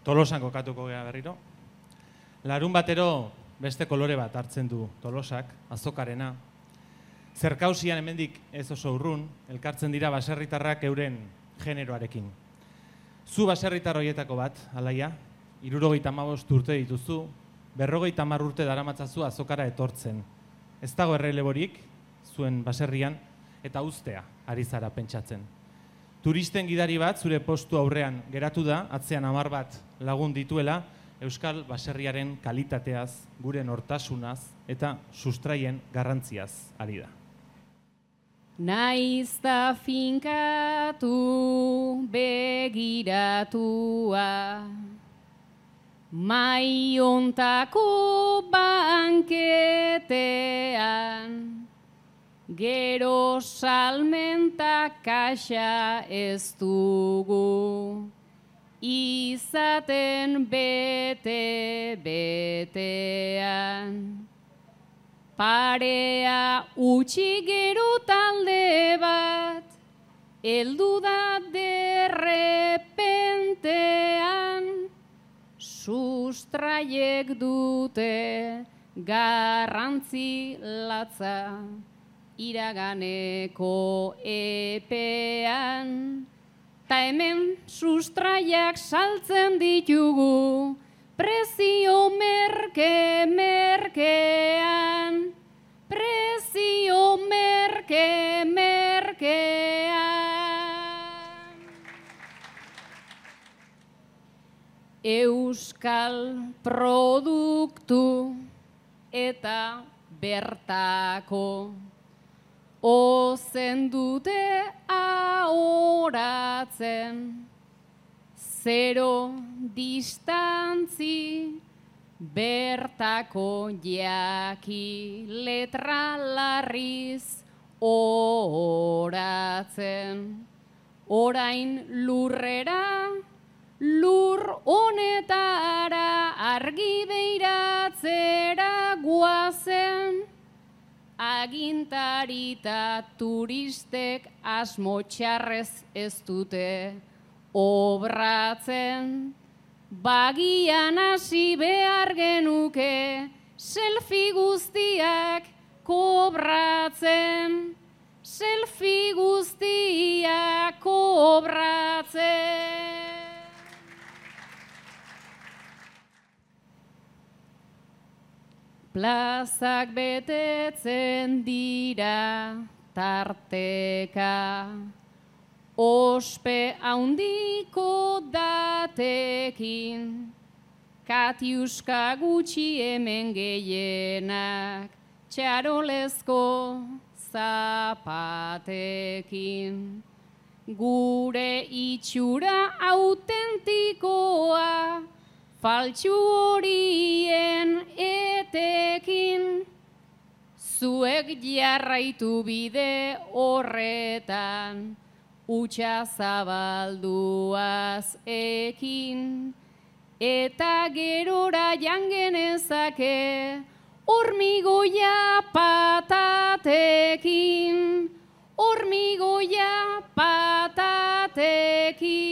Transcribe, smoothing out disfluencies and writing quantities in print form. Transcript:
Tolosan kokatuko gea berriro. Larun batero beste kolore bat hartzen du Tolosak, azokarena. Zerkausian hemendik ez oso urrun, elkartzen dira baserritarrak euren generoarekin. Zu baserritar horietako bat, Alaia, 75 urte dituzu, 50 urte daramatzazu azokara etortzen. Ez dago erreleborik, zuen baserrian, eta uztea ari zara pentsatzen. Turisten gidari bat zure postu aurrean geratu da, atzean 10 bat lagun dituela, Euskal baserriaren kalitateaz, gure nortasunaz eta sustraien garrantziaz ari da. Naiz da finkatu begiratua, mai ontako banketean, gero salmenta kaxa ez dugu, izaten bete-betean. Parea utxi gero talde bat, heldu da derrepentean, sustraiek dute garrantzi latza, iraganeko epean. Ta hemen sustraiak saltzen ditugu, prezio merke-merkean, prezio merke-merkean. Euskal produktu eta bertako ozen dute ahoratzen, zero distantzi bertako jaki letra larriz oratzen. Orain lurrera, lur honetara argi beiratzera guazen, agintarita turistek asmo txarrez ez dute obratzen. Bagian hasi behar genuke selfie guztiak kobratzen, selfie guztiak kobratzen. Plazak betetzen dira tarteka, ospe handiko datekin, Katiuska gutxi hemen gehienak, txarolezko zapatekin. Gure itxura autentikoa, faltsu horien etekin, zuek jarraitu bide horretan, utxa zabalduaz ekin, eta gerora jangenezake, hormigoia patatekin, hormigoia patatekin.